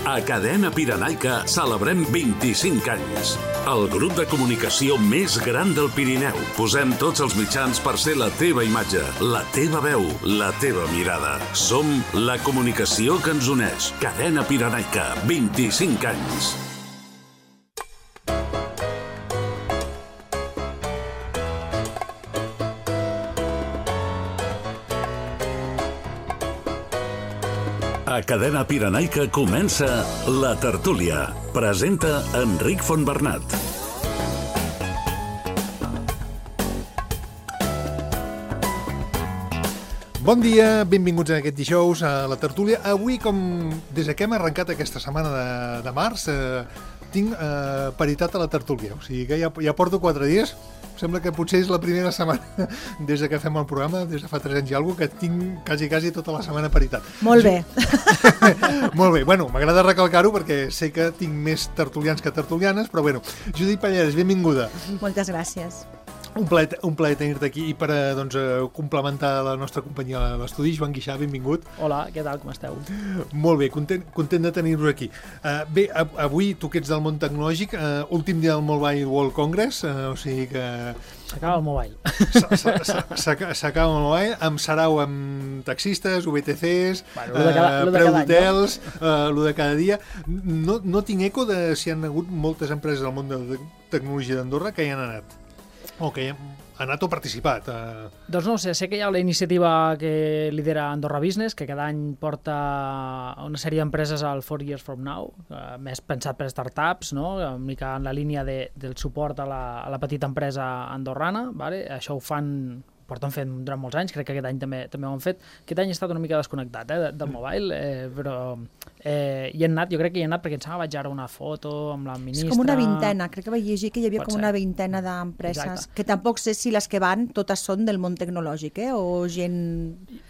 A Cadena Pirenaica celebrem 25 anys. El grup de comunicació més gran del Pirineu. Posem tots els mitjans per ser la teva imatge, la teva veu, la teva mirada. Som la comunicació que ens uneix. Cadena Pirenaica, 25 anys. A Cadena Pirenaica comença La Tertúlia. Presenta Enric Fontbernat. Bon dia, benvinguts a aquest dijous a La Tertúlia. Avui, com des que hem arrencat aquesta setmana de març, tinc paritat a La Tertúlia. O sigui que ja porto 4 dies. Sembla que potser és la primera setmana des que fem el programa, des de fa 3 anys i alguna cosa, que tinc quasi tota la setmana paritat. Molt bé. Molt bé. Bueno, m'agrada recalcar-ho perquè sé que tinc més tertulians que tertulianes, però bueno. Judit Pallarès, benvinguda. Moltes gràcies. Un plaer tenir-te aquí i per complementar la nostra companyia a l'estudi. Joan Guixà, benvingut. Hola, què tal, com esteu? Molt bé, content de tenir-vos aquí. Bé, avui, tu que ets del món tecnològic, últim dia del Mobile World Congress, o sigui que... S'acaba el mobile. S'acaba el mobile, amb sarau amb taxistes, VTCs, bueno, preu d'hotels, lo de cada dia. No tinc eco de si han hagut moltes empreses del món de tecnologia d'Andorra que hi han anat. O que ha anat o participat. Doncs no ho sé que hi ha la iniciativa que lidera Andorra Business, que cada any porta una sèrie d'empreses al 4 Years From Now, més pensat per startups, no? Una mica en la línia del suport a la petita empresa andorrana. Vale? Això ho porten fent durant molts anys, crec que aquest any també ho han fet. Aquest any he estat una mica desconnectat del mobile, però hi he anat, jo crec que hi he anat perquè em sembla vaig ara una foto amb la ministra... És com una vintena, crec que vaig llegir que hi havia com una vintena d'empreses, que tampoc sé si les que van totes són del món tecnològic, o gent...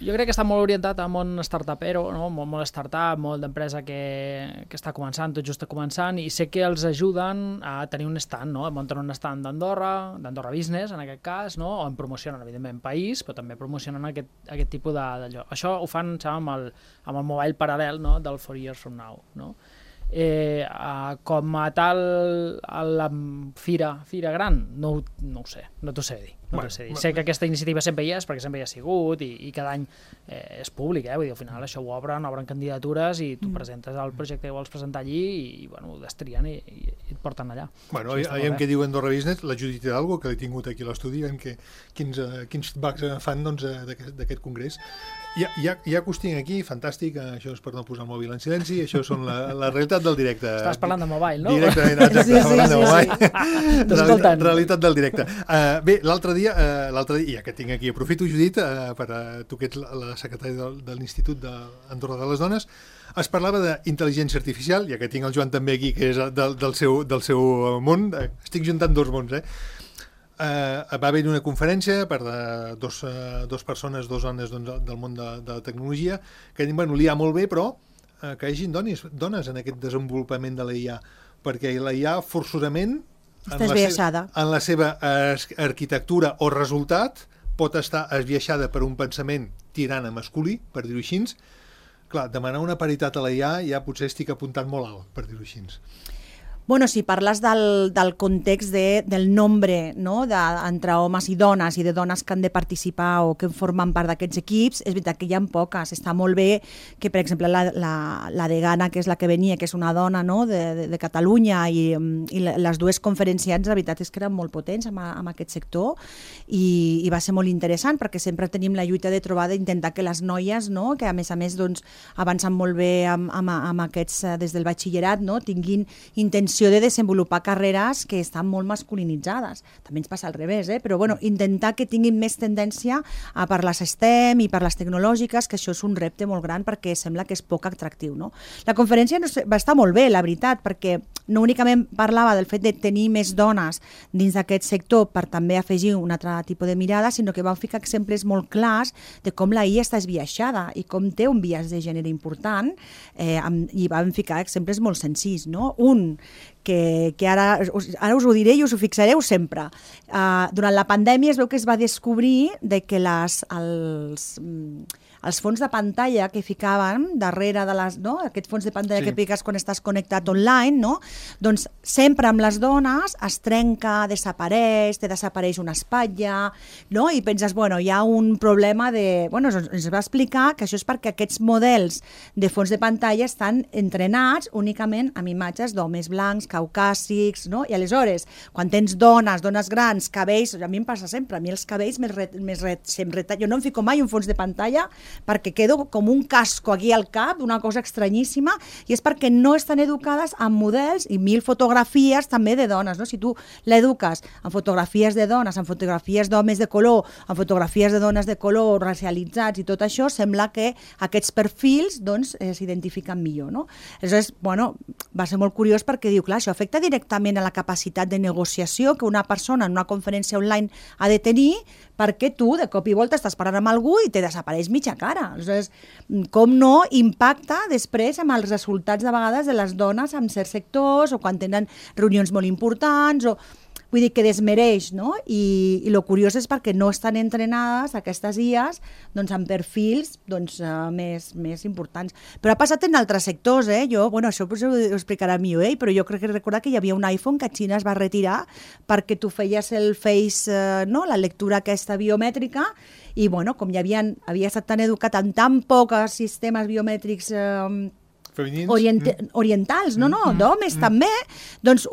Jo crec que està molt orientat al món startupero, no? molt startup, molt d'empresa que està començant, tot just començant, i sé que els ajuden a tenir un stand, no? Munten un stand d'Andorra Business, en aquest cas, no? On promocionen, evidentment, país, però també promocionen aquest tipus d'allò. Això ho fan, amb el mobile paral·lel, no? Del 4 Years From Now, no? Com a tal a la fira gran no ho sé, no t'ho sé dir. Sé que aquesta iniciativa sempre hi és, perquè sempre hi ha sigut i cada any és públic, vull dir, al final això ho obren candidatures i tu presentes el projecte que vols presentar allí i bueno, ho destrien i et porten allà. Bueno, aviam què diu Andorra Business, la Judit Hidalgo, que l'he tingut aquí a l'estudi, quins feedbacks fan d'aquest congrés. Hi ha costing aquí, fantàstic, això és per no posar el mòbil en silenci, això són la realitat del directe. Estàs parlant de mobile, no? Directament, exacte, parlant de mobile. Realitat del directe. Bé, l'altre dia, ja que tinc aquí, aprofito, Judit, tu que ets la secretària de l'Institut d'Andorra de les Dones, es parlava d'intel·ligència artificial, ja que tinc el Joan també aquí, que és del seu món, estic juntant dos mons, va haver-hi una conferència per dos persones, dos dones del món de la tecnologia, que diuen, li ha molt bé, però que hi hagi dones en aquest desenvolupament de la IA, perquè la IA forçosament en la seva arquitectura o resultat pot estar esbiaixada per un pensament tirant a masculí, per dir-ho així. Clar, demanar una paritat a la IA ja potser estic apuntant molt alt, per dir-ho així. Bueno, si parles del context del nombre, no? Entre homes i dones i de dones que han de participar o que formen part d'aquests equips, és veritat que hi ha poques. Està molt bé que, per exemple, la degana, que és la que venia, que és una dona, no? de Catalunya, i les dues conferenciants, la veritat és que eren molt potents en aquest sector i va ser molt interessant perquè sempre tenim la lluita de trobar d'intentar que les noies, no? Que a més doncs, avancen molt bé amb aquests des del batxillerat, no? Tinguin intenció de desenvolupar carreres que estan molt masculinitzades. També ens passa al revés, però bueno, intentar que tinguin més tendència per les STEM i per les tecnològiques, que això és un repte molt gran perquè sembla que és poc atractiu, no? La conferència va estar molt bé, la veritat, perquè no únicament parlava del fet de tenir més dones dins d'aquest sector per també afegir un altre tipus de mirada, sinó que va ficar exemples molt clars de com la IA està esbiaixada i com té un biaix de gènere important, i van ficar exemples molt senzills, no? Un, que ara us ho diré i us ho fixareu sempre. Durant la pandèmia es veu que es va descobrir de que els fons de pantalla que ficaven darrere de les, no? Aquest fons de pantalla que piques quan estàs connectat online, no? Doncs sempre amb les dones es trenca, desapareix, te desapareix una espatlla, no? I penses, bueno, hi ha un problema de... Bueno, ens va explicar que això és perquè aquests models de fons de pantalla estan entrenats únicament amb imatges d'homes blancs, caucàsics, no? I aleshores, quan tens dones grans, cabells, a mi em passa sempre, a mi els cabells jo no em fico mai un fons de pantalla perquè quedo com un casco aquí al cap, una cosa estranyíssima, i és perquè no estan educades amb models i 1000 fotografies també de dones, no? Si tu l'eduques amb fotografies de dones, amb fotografies d'homes de color, amb fotografies de dones de color, racialitzats i tot això, sembla que aquests perfils doncs s'identifiquen millor, no? Aleshores, bueno, va ser molt curiós perquè diu, clar, això afecta directament a la capacitat de negociació que una persona en una conferència online ha de tenir perquè tu de cop i volta estàs parlant amb algú i te desapareix mitja cara. Aleshores, com no impacta després amb els resultats de vegades de les dones en certs sectors o quan tenen reunions molt importants o... Vull dir que desmereix, no? I lo curiós és perquè no estan entrenades aquestes IAs doncs, amb perfils doncs, més importants. Però ha passat en altres sectors, Jo, bueno, això potser ho explicarà millor, però jo crec que recordar que hi havia un iPhone que a Xina es va retirar perquè tu feies el face, no? La lectura aquesta biomètrica i, bueno, com havia estat tan educat en tan pocs sistemes biomètrics orientals, d'homes també, doncs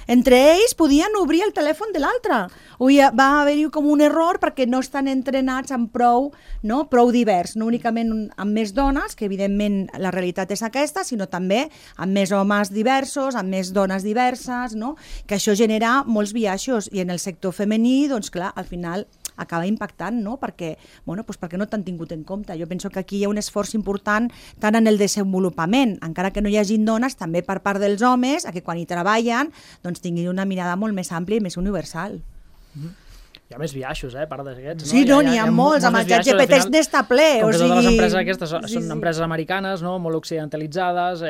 entre ells podien obrir el telèfon de l'altre. Va haver-hi com un error perquè no estan entrenats amb prou divers, no únicament amb més dones, que evidentment la realitat és aquesta, sinó també amb més homes diversos, amb més dones diverses, no? Que això genera molts biaixos i en el sector femení, doncs clar, al final acaba impactant, no? Perquè no t'han tingut en compte. Jo penso que aquí hi ha un esforç important tant en el desenvolupament, encara que no hi hagi dones, també per part dels homes, a que quan hi treballen doncs tinguin una mirada molt més àmplia i més universal. Hi ha més biaixos, a part d'aquests. Sí, n'hi ha molts, amb el ChatGPT n'està ple. Com que totes les empreses aquestes són empreses americanes, molt occidentalitzades,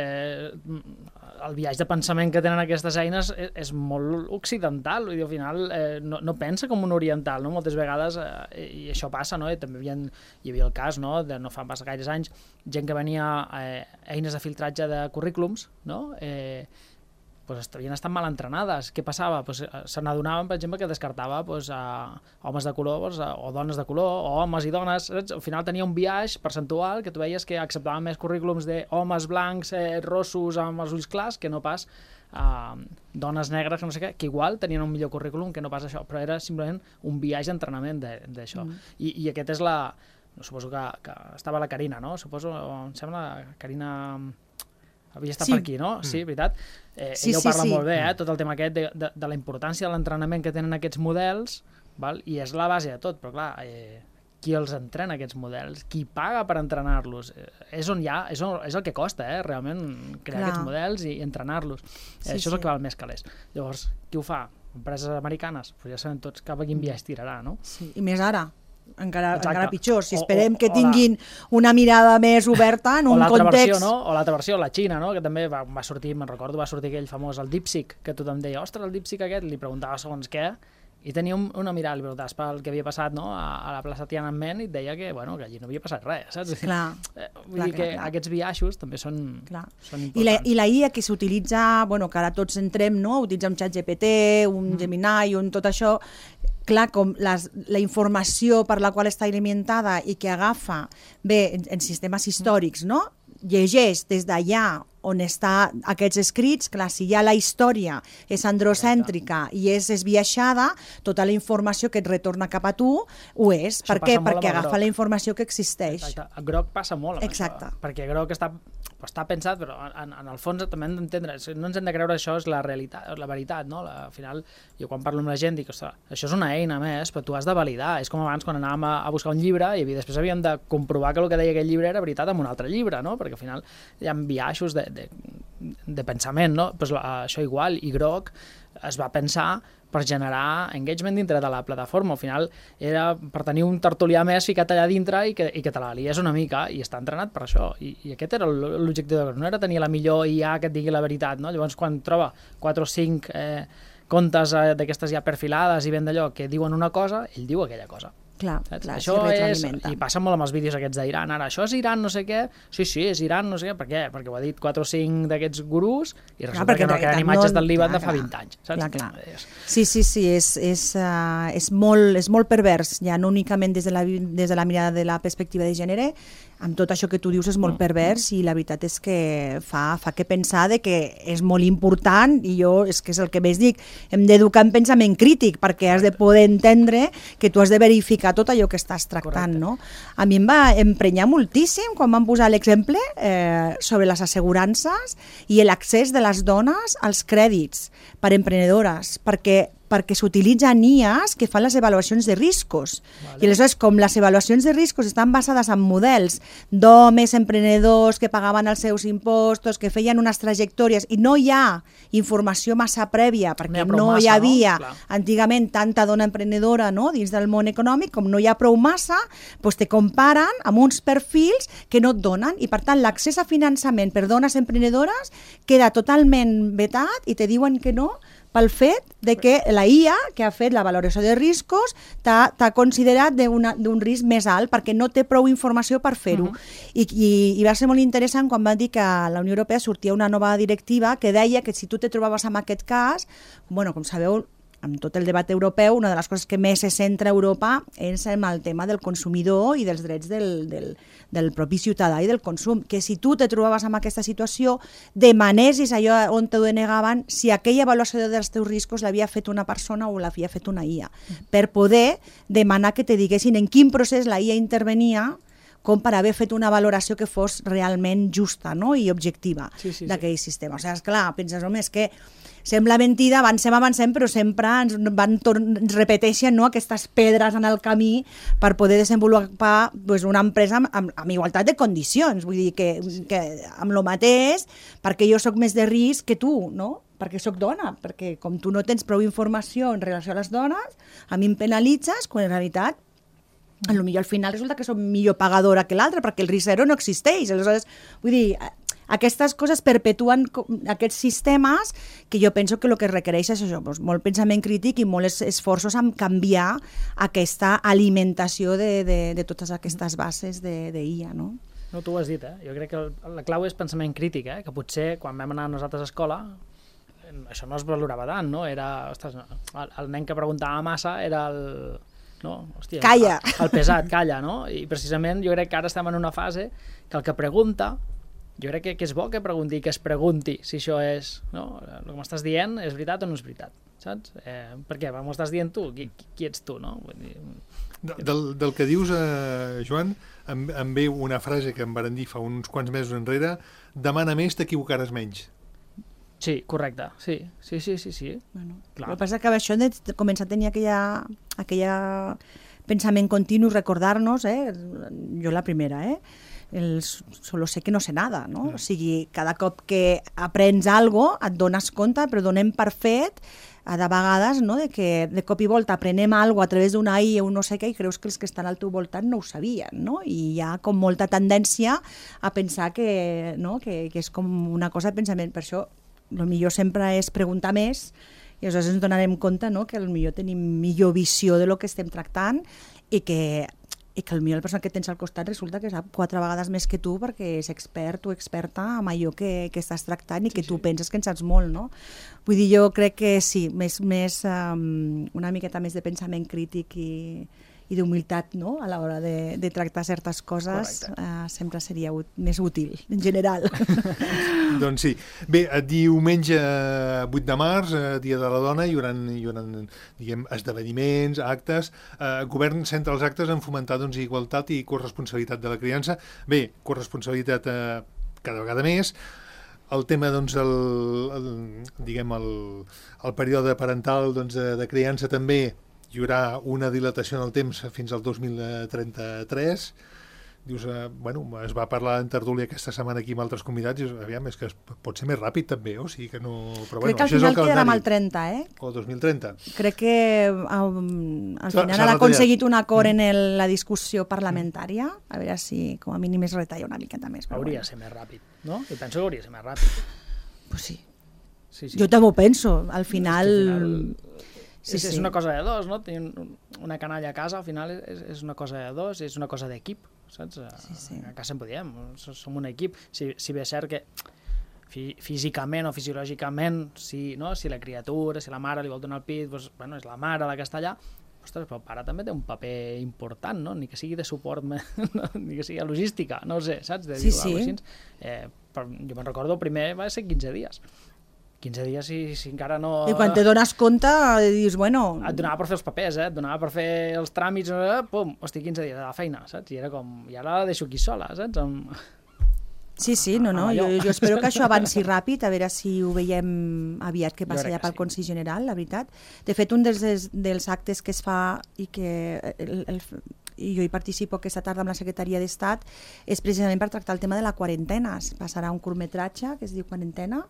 el viatge de pensament que tenen aquestes eines és molt occidental, vull dir, al final no pensa com un oriental, no? Moltes vegades, i això passa, no? I també hi havia el cas, no? De no fa pas gaires anys, gent que venia eines de filtratge de currículums, no? Havien estat mal entrenades. Què passava? Se n'adonaven, per exemple, que descartava homes de color o dones de color, o homes i dones. Al final tenia un biaix percentual que tu veies que acceptaven més currículums d'homes blancs, rossos, amb els ulls clars, que no pas dones negres, que no sé què, que igual tenien un millor currículum que no pas això, però era simplement un biaix d'entrenament d'això. I aquest és la... Suposo que estava la Carina, no? Suposo, em sembla, Carina... havia estat per aquí, no? Sí, veritat. Ella ho parla molt bé, tot el tema aquest de la importància de l'entrenament que tenen aquests models, i és la base de tot, però clar, qui els entrena aquests models? Qui paga per entrenar-los? És el que costa, realment, crear aquests models i entrenar-los. Això és el que val més calés. Llavors, qui ho fa? Empreses americanes? Ja sabem tots cap a quin viatge tirarà, no? Sí, i més ara. Encara pitjor, si esperem que tinguin una mirada més oberta en un context... O l'altra versió, la Xina, que també va sortir, me'n recordo, va sortir aquell famós, el DeepSeek, que tothom deia, ostres, el DeepSeek aquest, li preguntava segons què, i tenia una mirada, li preguntaves pel que havia passat a la plaça Tiananmen i et deia que allí no havia passat res, saps? Vull dir que aquests biaixos també són importants. I la IA que s'utilitza, que ara tots entrem, utilitzar un ChatGPT, un Gemini, tot això, clar, com la informació per la qual està alimentada i que agafa en sistemes històrics, no? Llegeix des d'allà on està aquests escrits, clar, si ja la història és androcèntrica i és esbiaixada, tota la informació que et retorna cap a tu ho és. Per què? Perquè agafa la informació que existeix. Exacte. A Grok passa molt amb això, perquè Grok està pensat, però en el fons també hem d'entendre, no ens hem de creure això és la realitat, la veritat, no? Al final, jo quan parlo amb la gent dic, ostres, això és una eina més, però tu has de validar. És com abans quan anàvem a buscar un llibre i després havíem de comprovar que el que deia aquell llibre era veritat amb un altre llibre, no? Perquè al final hi ha biaixos de pensament, no? Pues això igual, i Grok es va pensar per generar engagement dintre de la plataforma. Al final era per tenir un tertulià més ficat allà dintre i que te la lies una mica, i està entrenat per això. I aquest era l'objectiu de Grok, no era tenir la millor IA que et digui la veritat, no? Llavors quan troba 4 o 5 comptes d'aquestes ja perfilades i ben d'allò que diuen una cosa, ell diu aquella cosa. Clar, això és, i passa molt amb els vídeos aquests d'Iran, ara, això és Iran, no sé què, sí, és Iran, no sé què, per què? Perquè ho ha dit 4 o 5 d'aquests gurús i resulta que no queden imatges del Líban de fa 20 anys, saps? Clar. Sí, és molt pervers, ja no únicament des de la mirada de la perspectiva de gènere, amb tot això que tu dius és molt pervers i la veritat és que fa que pensar de que és molt important i jo és que és el que més dic, hem d'educar en pensament crític perquè has de poder entendre que tu has de verificar tot allò que estàs tractant, no? A mi em va emprenyar moltíssim quan van posar l'exemple sobre les assegurances i l'accés de les dones als crèdits per emprenedores, perquè s'utilitzen IAs que fan les avaluacions de riscos. Vale. I aleshores, com les avaluacions de riscos estan basades en models d'homes emprenedors que pagaven els seus impostos, que feien unes trajectòries, i no hi ha informació massa prèvia, perquè no hi havia antigament tanta dona emprenedora, no?, dins del món econòmic, com no hi ha prou massa, doncs te comparen amb uns perfils que no et donen, i per tant l'accés a finançament per dones emprenedores queda totalment vetat i te diuen que no, pel fet de que la IA, que ha fet la valoració de riscos, t'ha considerat d'un risc més alt perquè no té prou informació per fer-ho. I va ser molt interessant quan van dir que a la Unió Europea sortia una nova directiva que deia que si tu te trobaves en aquest cas, bueno, com sabeu, amb tot el debat europeu, una de les coses que més se centra a Europa és en el tema del consumidor i dels drets del propi ciutadà i del consum, que si tu te trobaves en aquesta situació, demanessis allò on t'ho denegaven si aquella avaluació dels teus riscos l'havia fet una persona o l'havia fet una IA, per poder demanar que te diguessin en quin procés la IA intervenia com per haver fet una valoració que fos realment justa, no?, i objectiva d'aquell sistema. O sigui, esclar, penses, home, és que sembla mentida, avancem, però sempre ens repeteixen, no?, aquestes pedres en el camí per poder desenvolupar una empresa amb igualtat de condicions. Vull dir que amb el mateix, perquè jo sóc més de risc que tu, no?, perquè sóc dona, perquè com tu no tens prou informació en relació a les dones, a mi em penalitzes, quan en realitat potser al final resulta que som millor pagadora que l'altra, perquè el risc zero no existeix. Aleshores, vull dir, aquestes coses perpetuen aquests sistemes que jo penso que el que requereix és això, doncs, molt pensament crític i molts esforços en canviar aquesta alimentació de totes aquestes bases d'IA, no? No, tu ho has dit, Jo crec que la clau és pensament crític, que potser quan vam anar nosaltres a escola això no es valorava tant, no? Era, ostres, el nen que preguntava massa era el... No? Hòstia, calla. El pesat, calla, no? I precisament jo crec que ara estem en una fase que el que pregunta, jo crec que és bo que pregunti, que es pregunti si això és, no? El que m'estàs dient és veritat o no és veritat, saps? Per què? M'ho estàs dient tu? Qui ets tu, no? Vull dir... Del que dius, Joan, em ve una frase que em varen dir fa uns quants mesos enrere: demana més, t'equivocaràs menys. Sí, correcte, sí. Bueno, el que passa és que això de començar a tenir aquella pensament continu, recordar-nos, jo la primera, solo sé que no sé nada, no? O sigui, cada cop que aprens alguna cosa et dones compte, però donem per fet de vegades, no?, de que de cop i volta aprenem alguna cosa a través d'una AI o no sé què i creus que els que estan al teu voltant no ho sabien, no? I hi ha com molta tendència a pensar que és com una cosa de pensament. Per això el millor sempre és preguntar més i aleshores ens donarem compte, no?, que potser tenim millor visió de lo que estem tractant i que potser la persona que tens al costat resulta que sap 4 vegades més que tu perquè és expert o experta en allò que estàs tractant i que tu penses que en saps molt, no? Vull dir, jo crec que sí, una miqueta més de pensament crític i d'humilitat, no?, a l'hora de tractar certes coses, sempre seria més útil, en general. Doncs sí. Bé, diumenge 8 de març, Dia de la Dona, hi haurà diguem, esdeveniments, actes. El govern centra els actes en fomentar igualtat i corresponsabilitat de la criança. Bé, corresponsabilitat cada vegada més. El tema, doncs, el període parental de criança també. Hi haurà una dilatació en el temps fins al 2033. Dius, es va parlar en tertúlia aquesta setmana aquí amb altres convidats i aviam, és que pot ser més ràpid també, o sigui que no... Però, crec que al final quedarà amb el 30, O 2030. Crec que al final han aconseguit un acord en la discussió parlamentària, a veure si com a mínim es retalla una miqueta més. Hauria de ser més ràpid, no? Jo penso que hauria de ser més ràpid. Pues sí. Jo també ho penso. Al final... És una cosa de dos, no? Tenir una canalla a casa, al final, és una cosa de dos, és una cosa d'equip, saps? A casa sempre diem, som un equip. Si bé és cert que físicament o fisiològicament, si la criatura, si la mare li vol donar el pit, doncs, bueno, és la mare la que està allà, ostres, però el pare també té un paper important, no? Ni que sigui de suport, ni que sigui de logística, no ho sé, saps? Sí. Jo me'n recordo, el primer va ser 15 dies. 15 dies si encara no... I quan te dones compte, dius, bueno... Et donava per fer els papers, et donava per fer els tràmits, pum, hosti, 15 dies a la feina, saps? I era com, i ara la deixo aquí sola, saps? Sí, jo espero que això avanci ràpid, a veure si ho veiem aviat que passa ja pel Consell General, la veritat. De fet, un dels actes que es fa i que i jo hi participo aquesta tarda amb la Secretaria d'Estat és precisament per tractar el tema de la quarantena. Es passarà un curtmetratge que es diu Quarantena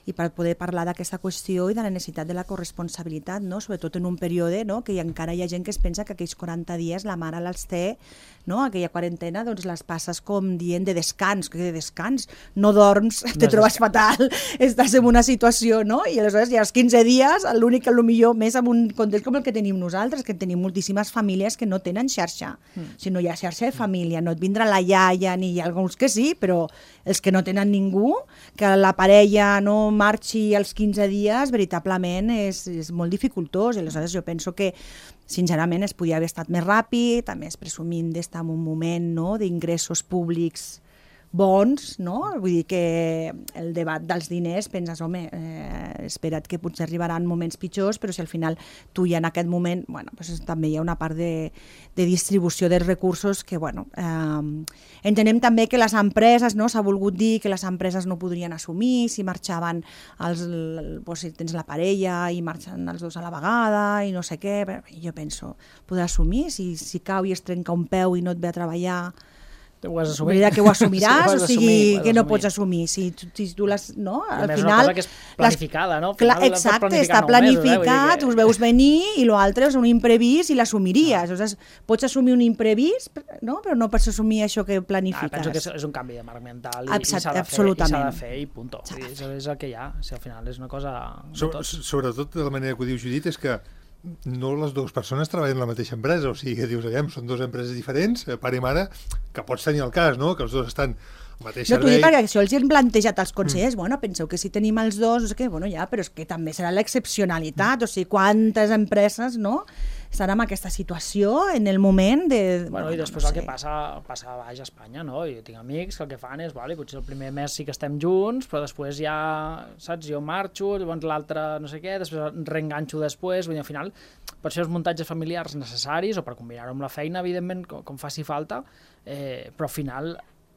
i per poder parlar d'aquesta qüestió i de la necessitat de la corresponsabilitat, no? Sobretot en un període, no? Que encara hi ha gent que es pensa que aquells 40 dies la mare els té, no? Aquella quarantena doncs les passes com dient de descans, que de descans, no dorms, te trobes fatal, estàs en una situació, no? I aleshores ja els 15 dies, l'únic que potser més en un context com el que tenim nosaltres, que tenim moltíssimes famílies que no tenen xarxa. Si no hi ha xarxa de família, no et vindrà la iaia, ni hi ha alguns que sí, però els que no tenen ningú, que la parella no marxi als 15 dies, veritablement és molt dificultós. I aleshores jo penso que sincerament es podia haver estat més ràpid, a més presumint d'estar en un moment, no?, d'ingressos públics bons, no? Vull dir que el debat dels diners, penses, home, espera't que potser arribaran moments pitjors, però si al final tu ja en aquest moment, bueno, pues també hi ha una part de distribució dels recursos que, bueno, entenem també que les empreses, no? S'ha volgut dir que les empreses no podrien assumir si marxaven si tens la parella i marxen els dos a la vegada i no sé què, però jo penso, podrà assumir si cau i es trenca un peu i no et ve a treballar, ho has assumit. Que ho assumiràs, o sigui, que no pots assumir. Si tu les, no? Al final... Una cosa que és planificada, no? Exacte, està planificat, us veus venir i l'altre és un imprevist i l'assumiries. Pots assumir un imprevist, no? Però no pots assumir això que planifiques. Penso que és un canvi de marc mental i s'ha de fer i punt. És el que hi ha. Al final és una cosa... Sobretot de la manera que ho diu Judit és que no les dues persones treballen en la mateixa empresa, o sigui que dius, són dues empreses diferents, pare i mare, que pots tenir el cas, no?, que els dos estan al mateix servei. No, t'ho dic perquè això els hem plantejat als consellers, bueno, penseu que si tenim els dos, no sé què, bueno, ja, però és que també serà l'excepcionalitat, o sigui, quantes empreses, no?, estan en aquesta situació en el moment de... Bueno, i després el que passa a baix a Espanya, no? Jo tinc amics que el que fan és, potser el primer mes sí que estem junts, però després ja, saps, jo marxo, llavors l'altre no sé què, després reenganxo després, vull dir, al final, per això els muntatges familiars necessaris, o per combinar-ho amb la feina, evidentment, com faci falta, però al final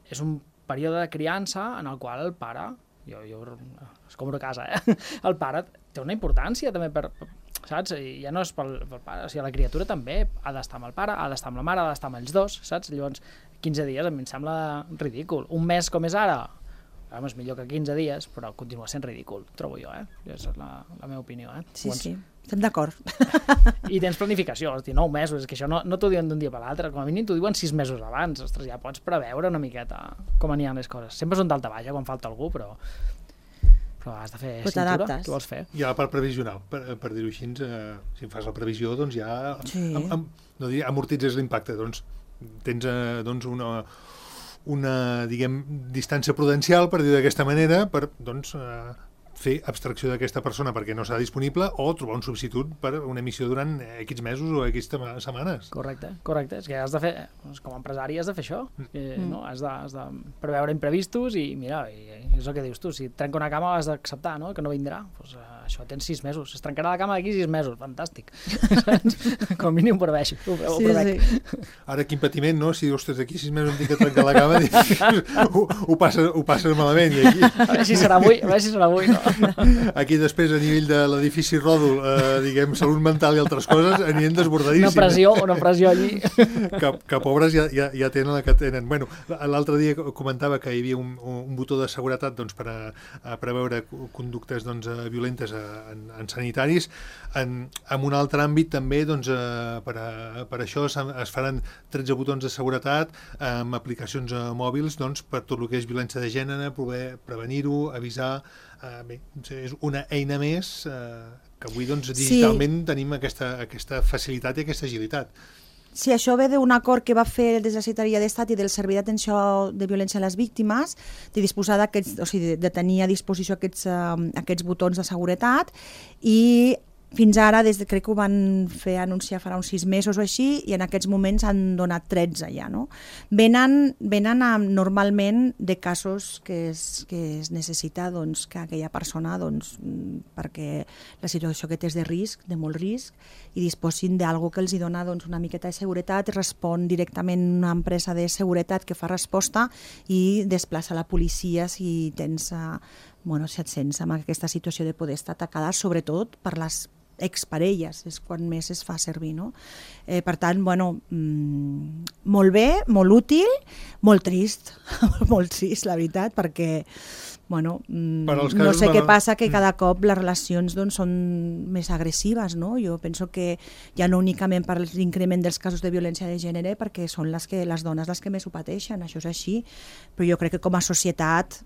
és un període de criança en el qual el pare, jo es compro a casa, el pare té una importància també per saps? I ja no és pel pare, o sigui, la criatura també ha d'estar amb el pare, ha d'estar amb la mare, ha d'estar amb els dos, saps? Llavors, 15 dies a mi em sembla ridícul. Un mes com és ara, és millor que 15 dies, però continua sent ridícul, trobo jo, És la meva opinió, Sí, sí, estem d'acord. I tens planificació, 9 mesos, és que això no t'ho diuen d'un dia per l'altre, com a mínim t'ho diuen 6 mesos abans, ostres, ja pots preveure una miqueta com aniran les coses. Sempre és un dalta baixa quan falta algú, però has de fer cintura, què vols fer? Hi ha la part previsional, per dir-ho així, si fas la previsió, doncs ja no diria amortitzes l'impacte, doncs tens una diguem, distància prudencial, per dir d'aquesta manera, per doncs fer abstracció d'aquesta persona perquè no serà disponible o trobar un substitut per una emissió durant X mesos o X setmanes. Correcte. És que has de fer, com a empresari has de fer això. No? Has de preveure imprevistos i mira, és el que dius tu, si et trenca una cama has d'acceptar, no? Que no vindrà. Pues, això tens 6 mesos. Es trencarà la cama d'aquí 6 mesos. Fantàstic. Com a mínim ho preveixo. Sí. Ara quin patiment, no? Si ostres, d'aquí 6 mesos em tinc que trencar la cama ho passes malament. I aquí... A veure si serà avui, no? Aquí després a nivell de l'edifici Ròdol, diguem, salut mental i altres coses anirem desbordadíssim. Una pressió allí. Que pobres ja tenen la que tenen. Bueno, l'altre dia comentava que hi havia un botó de seguretat doncs, per a preveure conductes doncs, violentes en sanitaris. En un altre àmbit també doncs, per això es faran 13 botons de seguretat amb aplicacions mòbils doncs, per tot el que és violència de gènere, poder prevenir-ho, avisar. Bé, és una eina més que avui digitalment tenim aquesta facilitat i aquesta agilitat. Sí, això ve d'un acord que va fer des de la Secretaria d'Estat i del Servei d'Atenció de Violència a les Víctimes, de disposar de tenir a disposició aquests botons de seguretat, i fins ara, crec que ho van fer anunciar farà uns 6 mesos o així, i en aquests moments han donat 13 ja, no? Venen normalment de casos que es necessita que aquella persona, perquè la situació que té és de risc, de molt risc, i disposin d'algú que els dona una miqueta de seguretat, respon directament una empresa de seguretat que fa resposta i desplaça la policia si et sents amb aquesta situació de poder estar atacada, sobretot per les exparelles, és quan més es fa servir, no? Per tant, molt bé, molt útil, molt trist, molt trist, la veritat, perquè no sé què passa, que cada cop les relacions són més agressives, no? Jo penso que ja no únicament per l'increment dels casos de violència de gènere, perquè són les dones les que més ho pateixen, això és així, però jo crec que com a societat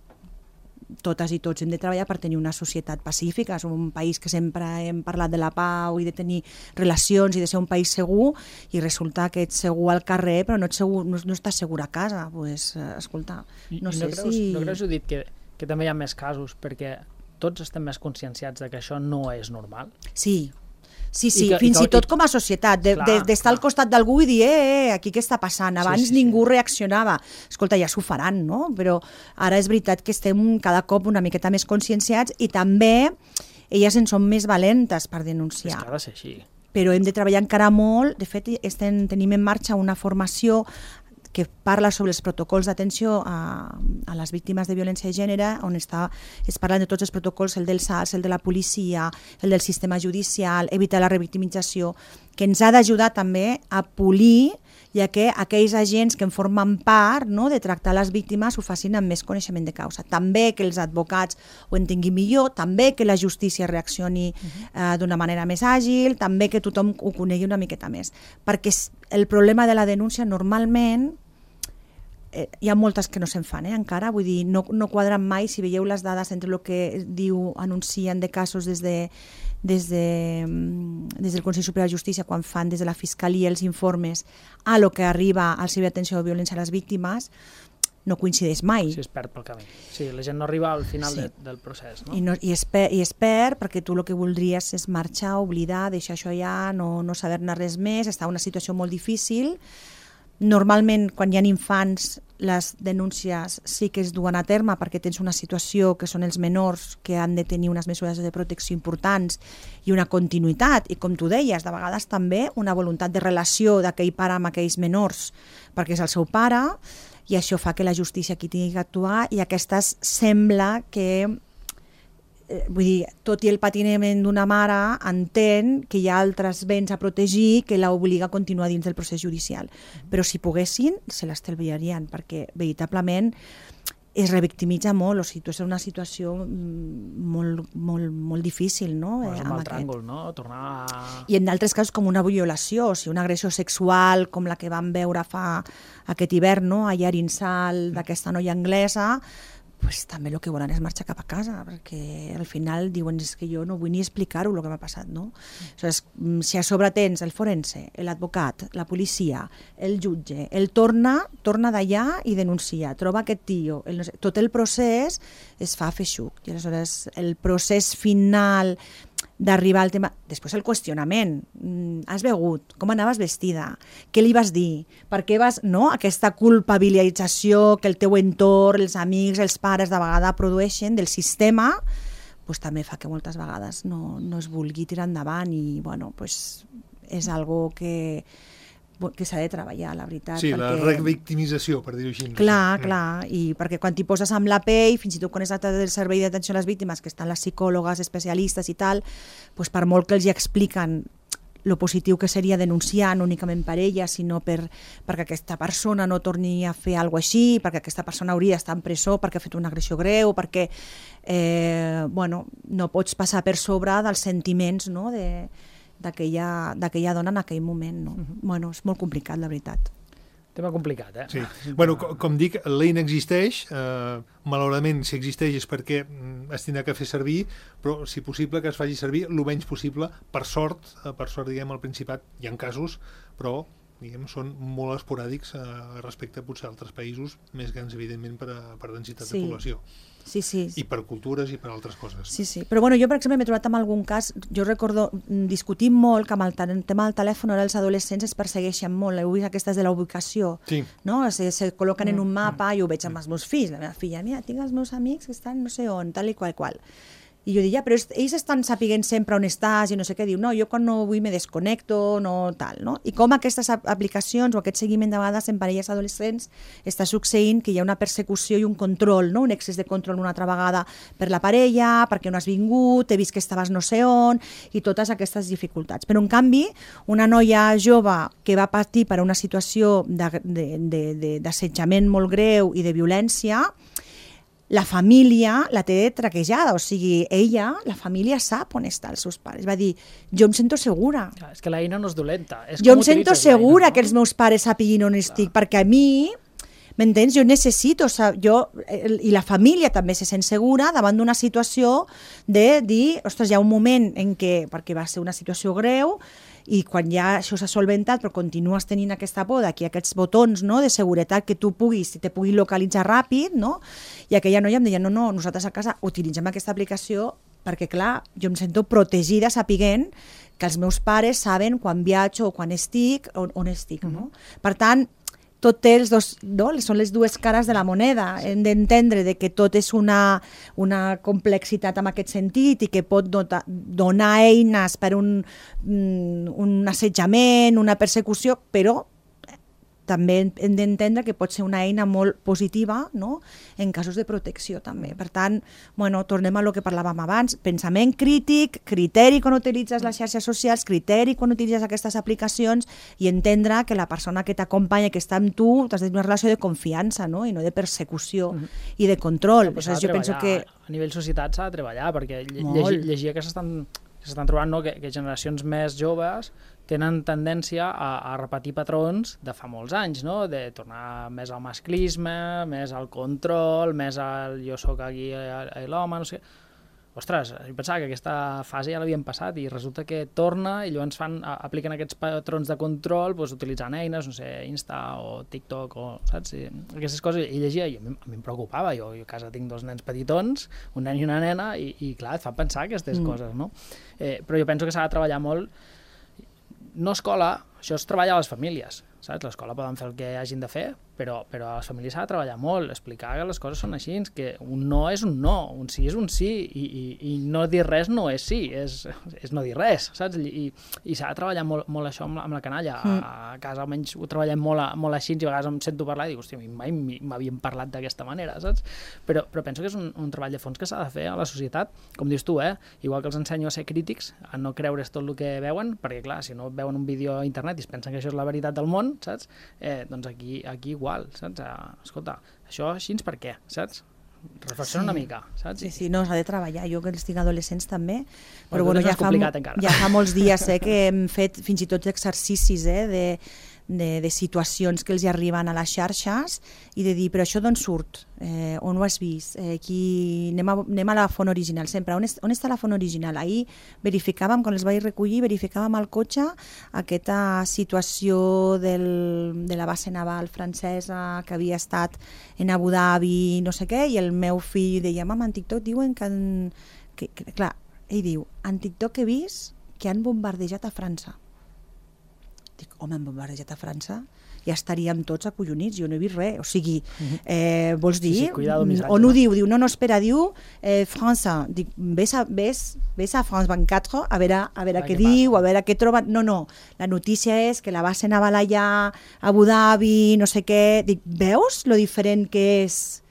totes i tots hem de treballar per tenir una societat pacífica. Som un país que sempre hem parlat de la pau i de tenir relacions i de ser un país segur, i resulta que ets segur al carrer però no estàs segur a casa. Escolta, no sé si... No creus, Judit, que també hi ha més casos perquè tots estem més conscienciats de que això no és normal? Sí, fins i tot com a societat, d'estar al costat d'algú i dir, aquí què està passant? Abans ningú reaccionava. Escolta, ja s'ho faran, no? Però ara és veritat que estem cada cop una miqueta més conscienciats, i també elles en són més valentes per denunciar. És que ha de ser així. Però hem de treballar encara molt. De fet, tenim en marxa una formació que parla sobre els protocols d'atenció a les víctimes de violència de gènere, on es parlen de tots els protocols, el del SARS, el de la policia, el del sistema judicial, evitar la revictimització, que ens ha d'ajudar també a polir, ja que aquells agents que en formen part, no, de tractar les víctimes ho facin amb més coneixement de causa. També que els advocats ho entenguin millor, també que la justícia reaccioni d'una manera més àgil, també que tothom ho conegui una miqueta més. Perquè el problema de la denúncia normalment hi ha moltes que no se'n fan, encara, vull dir, no quadren mai. Si veieu les dades entre el que anuncien de casos des del Consell Superior de Justícia, quan fan des de la Fiscalia els informes, a lo que arriba al Servei d'Atenció de Violència a les Víctimes, no coincideix mai. Sí, es perd pel camí. Sí, la gent no arriba al final del procés, no? I es perd perquè tu el que voldries és marxar, oblidar, deixar això allà, no saber-ne res més, estar en una situació molt difícil. Normalment, quan hi ha infants, les denúncies sí que es duen a terme perquè tens una situació que són els menors que han de tenir unes mesures de protecció importants i una continuïtat, i com tu deies, de vegades també una voluntat de relació d'aquell pare amb aquells menors perquè és el seu pare, i això fa que la justícia aquí tingui que actuar, i aquestes sembla que vull dir, tot i el patiment d'una mare, entén que hi ha altres béns a protegir que l'obliga a continuar dins del procés judicial. Però si poguessin, se l'estalviarien, perquè veritablement es revictimitza molt, o sigui, és una situació molt difícil, no? És un mal tràngol, no? I en d'altres casos com una violació, o sigui, una agressió sexual com la que vam veure fa aquest hivern, no? A Arinsal, d'aquesta noia anglesa, pues també el que volen és marxar cap a casa, perquè al final diuen que jo no vull ni explicar-ho el que m'ha passat, no? Si a sobre tens el forense, l'advocat, la policia, el jutge, el torna d'allà i denuncia, troba aquest tio, tot el procés es fa feixuc, i aleshores el procés final d'arribar al tema, després el qüestionament, has begut, com anaves vestida, què li vas dir, per què vas, no? Aquesta culpabilització que el teu entorn, els amics, els pares de vegada produeixen del sistema, pues, també fa que moltes vegades no es vulgui tirar endavant, i bueno, pues, és algo que s'ha de treballar, la veritat. Sí, la revictimització, per dir-ho així. Clar, i perquè quan t'hi poses amb la pell, fins i tot quan és del Servei d'Atenció a les Víctimes, que estan les psicòlogues, especialistes i tal, doncs per molt que els hi expliquen lo positiu que seria denunciar, no únicament per ella, sinó perquè aquesta persona no torni a fer alguna cosa així, perquè aquesta persona hauria d'estar en presó perquè ha fet una agressió greu, perquè no pots passar per sobre dels sentiments, no?, d'aquella dona en aquell moment, no? Bueno, és molt complicat, la veritat. Tema complicat, Sí. Bueno, com dic, l'EIN existeix, malauradament si existeix és perquè es tindrà que fer servir, però, si possible, que es faci servir el menys possible. Per sort, diguem, al Principat hi ha casos, però diguem, són molt esporàdics respecte potser a altres països més grans, evidentment, per densitat de població. Sí. I per cultures i per altres coses. Sí. Però bueno, jo, per exemple, m'he trobat en algun cas, jo recordo, discutim molt que amb el tema del telèfon ara els adolescents es persegueixen molt, heu vist aquestes de la ubicació, no? Se col·loquen en un mapa, jo ho veig amb els meus fills, la meva filla, mira, tinc els meus amics que estan no sé on, tal i qual. I jo dic, però ells estan sapiguent sempre on estàs i no sé què. Diu, no, jo quan no vull me desconnecto, no tal, no? I com aquestes aplicacions o aquest seguiment de vegades en parelles adolescents està succeint que hi ha una persecució i un control, no? Un excés de control una altra vegada per la parella, perquè no has vingut, he vist que estaves no sé on, i totes aquestes dificultats. Però, en canvi, una noia jove que va patir per una situació d'assetjament molt greu i de violència, la família la té traquejada, o sigui, la família sap on estan els seus pares. Va dir, jo em sento segura. És que l'eina no és dolenta. Jo em sento segura que els meus pares sapiguin on estic, perquè a mi, m'entens? Jo necessito, i la família també se sent segura davant d'una situació de dir, ostres, hi ha un moment en què, perquè va ser una situació greu, i quan ja això s'ha solventat però continues tenint aquesta por d'aquí aquests botons, no, de seguretat que tu te pugui localitzar ràpid, no? I aquella noia em deia, no, nosaltres a casa utilitzem aquesta aplicació perquè, clar, jo em sento protegida sapiguent que els meus pares saben quan viatjo o quan estic, on estic, no? Per tant, tot té els dos, no? Són les dues cares de la moneda. Hem d'entendre que tot és una complexitat en aquest sentit i que pot donar eines per un assetjament, una persecució, però també hem d'entendre que pot ser una eina molt positiva, no? En casos de protecció també. Per tant, tornem a lo que parlàvem abans, pensament crític, criteri quan utilitzes les xarxes socials, criteri quan utilitzes aquestes aplicacions i entendre que la persona que t'acompanya, que està amb tu, t'has de tenir una relació de confiança, no? I no de persecució i de control. Jo penso que a nivell societat s'ha de treballar, perquè llegia que s'estan trobant, no? que generacions més joves tenen tendència a repetir patrons de fa molts anys, no? De tornar més al masclisme, més al control, més al jo sóc aquí l'home, no sé. Ostres, jo pensava que aquesta fase ja l'havien passat i resulta que torna i llavors apliquen aquests patrons de control utilitzant eines, no sé, Insta o TikTok o, saps? Aquestes coses, i llegia, i a mi em preocupava, jo a casa tinc 2 nens petitons, un nen i una nena, i clar, et fa pensar aquestes coses, no? Però jo penso que s'ha de treballar molt. No escola, això es treballa a les famílies, saps? L'escola poden fer el que hagin de fer, però a les famílies s'ha de treballar molt, explicar que les coses són així, que un no és un no, un sí és un sí, i no dir res no és sí, és no dir res, saps? I s'ha de treballar molt això amb la canalla. A casa almenys ho treballem molt així, i a vegades em sento parlar i dic, hòstia, mai m'havien parlat d'aquesta manera, saps? Però penso que és un treball de fons que s'ha de fer a la societat, com dius tu, igual que els ensenyo a ser crítics, a no creure's tot el que veuen, perquè clar, si no veuen un vídeo a internet i es pensen que això és la veritat del món, saps? Doncs aquí igual, saps? Escolta, això així per què, saps? Reflexiona una mica, saps? Sí, no, s'ha de treballar. Jo que estic adolescents també, però ja fa molts dies que hem fet fins i tot exercicis de situacions que els arriben a les xarxes i de dir, però això d'on surt? On ho has vist? Anem a la font original sempre. On està la font original? Ahir verificàvem, quan els vaig recollir, verificàvem al cotxe aquesta situació de la base naval francesa que havia estat en Abu Dhabi, no sé què, i el meu fill deia, mama, en TikTok diuen que clar, ell diu, en TikTok he vist que han bombardejat a França. Dic, home, han bombardejat a França? Ja estaríem tots acollonits, jo no he vist res. O sigui, vols dir? On ho diu? Diu, no, espera, diu França. Dic, ves a France 24 a veure què diu, a veure què troben. No, la notícia és que la base naval allà, Abu Dhabi, no sé què. Dic, veus lo diferent que és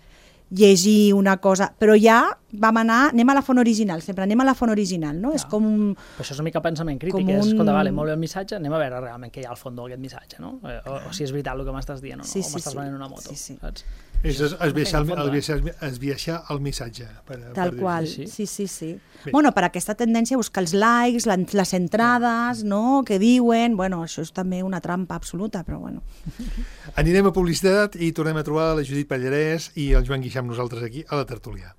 llegir una cosa? Però ja anem a la font original, sempre anem a la font original, no? És com Però això és una mica pensament crític, escolta, vale, molt bé el missatge, anem a veure realment què hi ha al fons d'aquest missatge, no? O si és veritat el que m'estàs dient o no, o m'estàs venent una moto, saps? És esbiaixar el missatge. Tal qual, sí. Bueno, per aquesta tendència a buscar els likes, les entrades, no?, que diuen, bueno, això és també una trampa absoluta, però bueno. Anirem a publicitat i tornem a trobar la Judit Pallarès i el Joan Guixà amb nosaltres aquí a la tertúlia.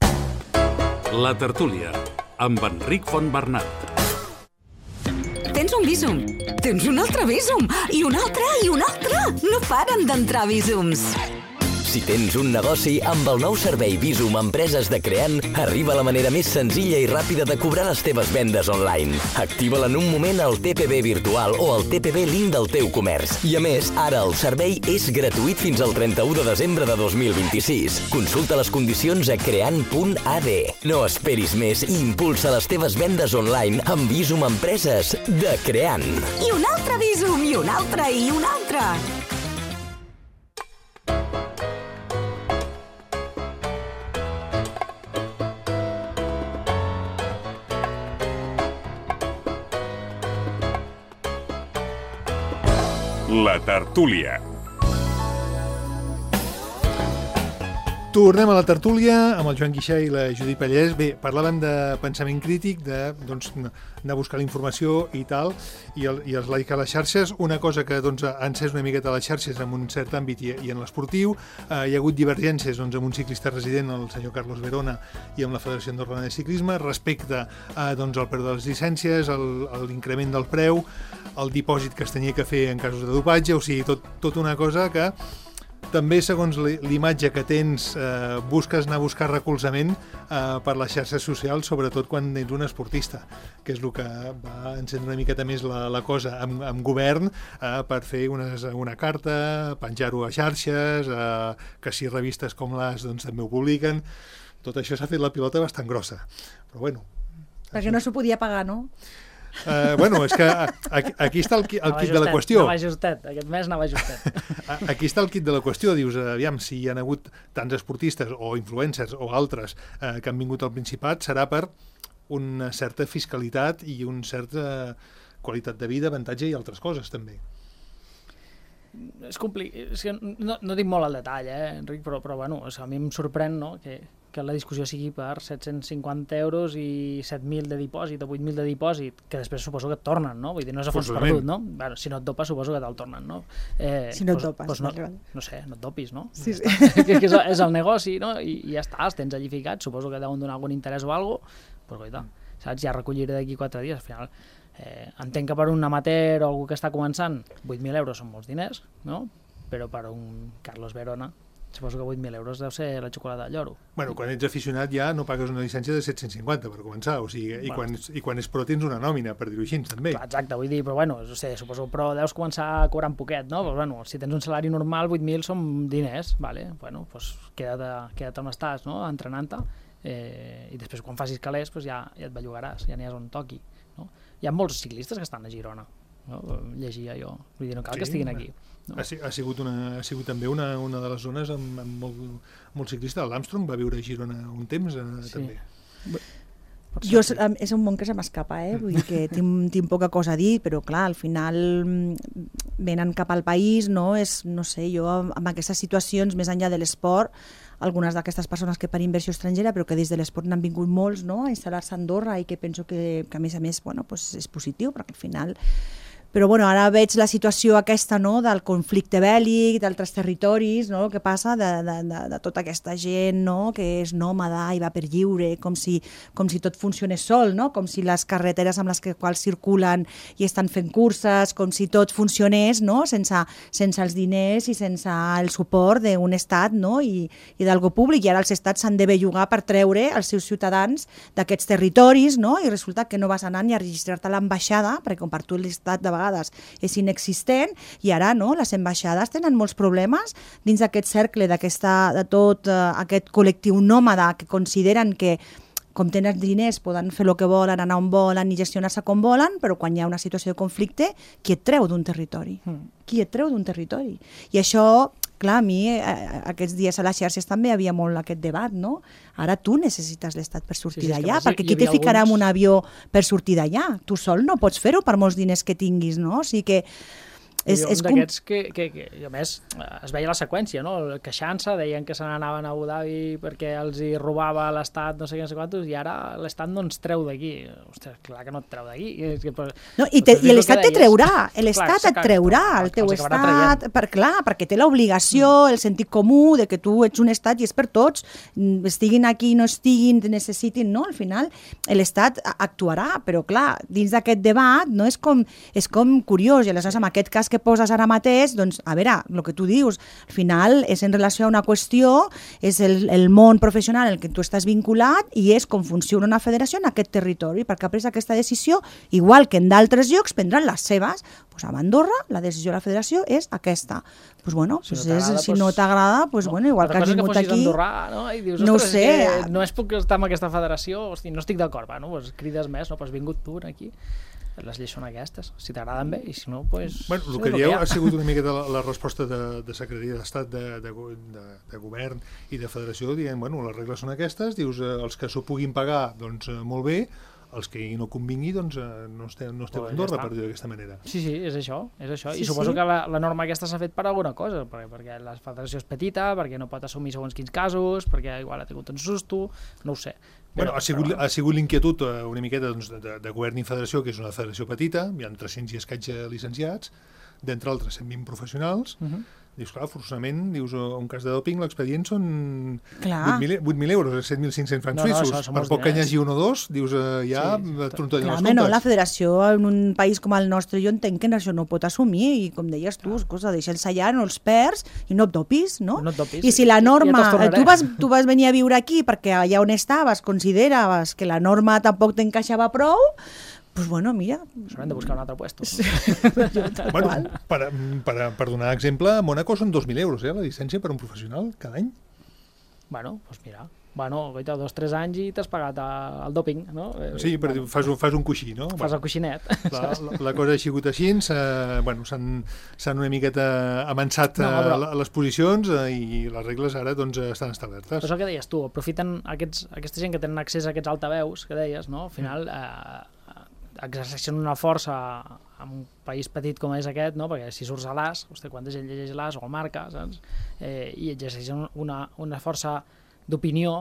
La tertúlia, amb Enric Fontbernat. Tens un Bizum, tens un altre Bizum, i un altre, i un altre. No paren d'entrar Bizums. Si tens un negoci, amb el nou servei Bizum Empreses de Creant, arriba la manera més senzilla i ràpida de cobrar les teves vendes online. Activa-la en un moment al TPB virtual o al TPB link del teu comerç. I a més, ara el servei és gratuït fins al 31 de desembre de 2026. Consulta les condicions a creant.ad. No esperis més i impulsa les teves vendes online amb Bizum Empreses de Creant. I un altre Bizum, i un altre, i un altre. La tertúlia. Tornem a la tertúlia amb el Joan Guixà i la Judit Pallès. Bé, parlàvem de pensament crític, de anar a buscar la informació i tal, i els likes a les xarxes. Una cosa que ha encès una miqueta a les xarxes en un cert àmbit i en l'esportiu. Hi ha hagut divergències amb un ciclista resident, el senyor Carlos Verona, i amb la Federació Andorrana de Ciclisme, respecte al preu de les llicències, l'increment del preu, el dipòsit que es tenia que fer en casos de dopatge, o sigui, tot una cosa que també, segons l'imatge que tens, busques anar a buscar recolzament per les xarxes socials, sobretot quan ets un esportista, que és el que va encendre una miqueta més la cosa amb govern, per fer una carta, penjar-ho a xarxes, que si revistes com l'AS també ho publiquen. Tot això s'ha fet la pilota bastant grossa, però bueno. Perquè no s'ho podia pagar, no? És que aquí està el kit de la qüestió. Aquest mes anava justet. Aquí està el kit de la qüestió. Dius, aviam, si hi ha hagut tants esportistes o influencers o altres que han vingut al Principat, serà per una certa fiscalitat i una certa qualitat de vida, avantatge i altres coses, també. És complicat. No dic molt al detall, Enric, però bueno, a mi em sorprèn, no?, que la discussió sigui per 750 euros i 7.000 de dipòsit o 8.000 de dipòsit, que després suposo que et tornen, no? Vull dir, no és a fons perdut, no? Bueno, si no et dopes, suposo que te'l tornen, no? Si no et dopes. No sé, no et dopis, no? Sí. Que és el negoci, no? I ja està, els tens allí ficats, suposo que deuen donar algun interès o alguna cosa, però goita, saps? Ja recolliré d'aquí 4 dies, al final. Entenc que per un amateur o algú que està començant, 8.000 euros són molts diners, no? Però per un Carlos Verona, suposo que 8.000 euros deu ser la xocolata del lloro. Bueno, quan ets aficionat ja no pagues una llicència de 750 per començar, o sigui, i quan és pro tens una nòmina, per dir-ho així, també. Clar, exacte, vull dir, però bueno, suposo pro deus començar a cobrar un poquet, no? Però bueno, si tens un salari normal, 8.000 són diners, vale? Bueno, doncs queda't on estàs, no? Entrenant-te, i després quan facis calés ja et bellugaràs, ja n'hi has on toqui, no? Hi ha molts ciclistes que estan a Girona, no? Llegia jo, vull dir, no cal que estiguin aquí. No. Ha sigut també una de les zones amb molt ciclista. L'Armstrong va viure a Girona un temps, també. És un món que se m'escapa, vull dir que tinc poca cosa a dir, però clar, al final venen cap al país, no sé, jo amb aquestes situacions, més enllà de l'esport, algunes d'aquestes persones que per inversió estrangera, però que des de l'esport n'han vingut molts, no?, a instal·lar-se a Andorra, i que penso que a més és positiu, perquè al final... Però bueno, ara veig la situació aquesta, no?, del conflicte bèl·lic, d'altres territoris, no?, el que passa de tota aquesta gent, no?, que és nòmada i va per lliure, com si tot funcionés sol, no?, com si les carreteres amb les quals circulen i estan fent curses, com si tot funcionés, no?, sense els diners i sense el suport d'un estat, no?, i d'algo públic, i ara els estats s'han de bellugar per treure els seus ciutadans d'aquests territoris, no?, i resulta que no vas anar ni a registrar-te a l'ambaixada, perquè com per tu l'estat de vegades és inexistent, i ara no, les ambaixades tenen molts problemes dins d'aquest cercle de tot aquest col·lectiu nòmada que consideren que com tenen diners poden fer el que volen, anar on volen i gestionar-se com volen, però quan hi ha una situació de conflicte, qui et treu d'un territori? Qui et treu d'un territori? I això, clar, a mi aquests dies a les xarxes també hi havia molt aquest debat, no? Ara tu necessites l'Estat per sortir d'allà, perquè qui te ficarà en un avió per sortir d'allà? Tu sol no pots fer-ho per molts diners que tinguis, no? O sigui que d'aquests que, a més, es veia la seqüència, no? Queixant-se, deien que se n'anaven a Abu Dhabi perquè els hi robava l'Estat no sé quantos, i ara l'Estat no ens treu d'aquí. Ostres, clar que no et treu d'aquí. No, i l'Estat te treurà, l'Estat et treurà, el teu Estat, perquè té l'obligació, el sentit comú de que tu ets un Estat i és per tots, estiguin aquí, no estiguin, necessitin, no? Al final, l'Estat actuarà, però clar, dins d'aquest debat, no? És com curiós, i aleshores en aquest cas que poses ara mateix, doncs, a veure, el que tu dius, al final és en relació a una qüestió, és el món professional en el que tu estàs vinculat i és com funciona una federació en aquest territori, perquè ha pres aquesta decisió, igual que en d'altres llocs prendran les seves. Pues a Andorra la decisió de la federació és aquesta. Pues bueno, si no t'agrada, pues bueno, igual que has vingut aquí... Andorrà, no? I dius, no ho sé. No és puc estar amb aquesta federació, hosti, no estic d'acord, bueno, pues crides més, no? Pues has vingut tu aquí. Les lleis són aquestes, si t'agraden bé, i si no, pues... Bueno, el que dieu ha sigut una miqueta la resposta de Secretaria d'Estat, de Govern i de Federació, dient, bueno, les regles són aquestes, dius, els que s'ho puguin pagar, doncs molt bé, els que no convingui, doncs no esteu a Andorra, per dir-ho d'aquesta manera. Sí, és això. I suposo que la norma aquesta s'ha fet per alguna cosa, perquè la federació és petita, perquè no pot assumir segons quins casos, perquè igual ha tingut un susto, no ho sé. Bueno, ha sigut l'inquietud una miqueta de govern i federació, que és una federació petita, hi ha 300 i escaig licenciats, d'entre altres 120 professionals. Dius, clar, forçosament, dius, un cas de doping, l'expedient són 8.000 euros, 7.500 francs suïssos. Per poc que n'hi hagi un o dos, dius, ja trontollen els comptes. No, la federació en un país com el nostre, jo entenc que això no pot assumir, i com deies tu, deixa'ls allà, no els perds, i no et dopis, no? I si la norma, tu vas venir a viure aquí perquè allà on estaves consideraves que la norma tampoc t'encaixava prou, pues bueno, mira... S'haurem de buscar un altre puesto. Bueno, per donar exemple, a Mònaco són 2.000 euros, la llicència per un professional cada any. Bueno, doncs mira, 2 o 3 anys i t'has pagat el doping, no? Sí, fas un coixí, no? Fas el coixinet. La cosa ha sigut així, s'han una miqueta avançat les posicions i les regles ara estan establertes. Però és el que deies tu, aprofiten aquesta gent que tenen accés a aquests altaveus, que deies, no? Al final... exerceixen una força en un país petit com és aquest, no? Perquè si surts a l'AS, quanta gent llegeix l'AS o el Marca, saps? I exerceixen una força d'opinió,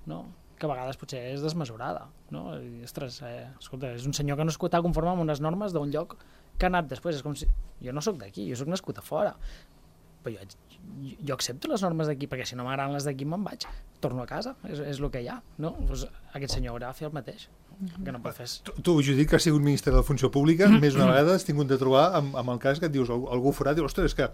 no? Que a vegades potser és desmesurada, no? I, ostres, escolta, és un senyor que no està conforme amb unes normes d'un lloc que ha anat després. És com si... Jo no sóc d'aquí, jo sóc nascut a fora, però jo accepto les normes d'aquí, perquè si no m'agraden les d'aquí me'n vaig, torno a casa, és el que hi ha, no? Pues aquest senyor haurà de fer el mateix, que no pot fer. Tu, Judit, que has sigut ministre de la Funció Pública, més una vegada has tingut de trobar amb el cas que et dius, algú forat, dius, ostres, és que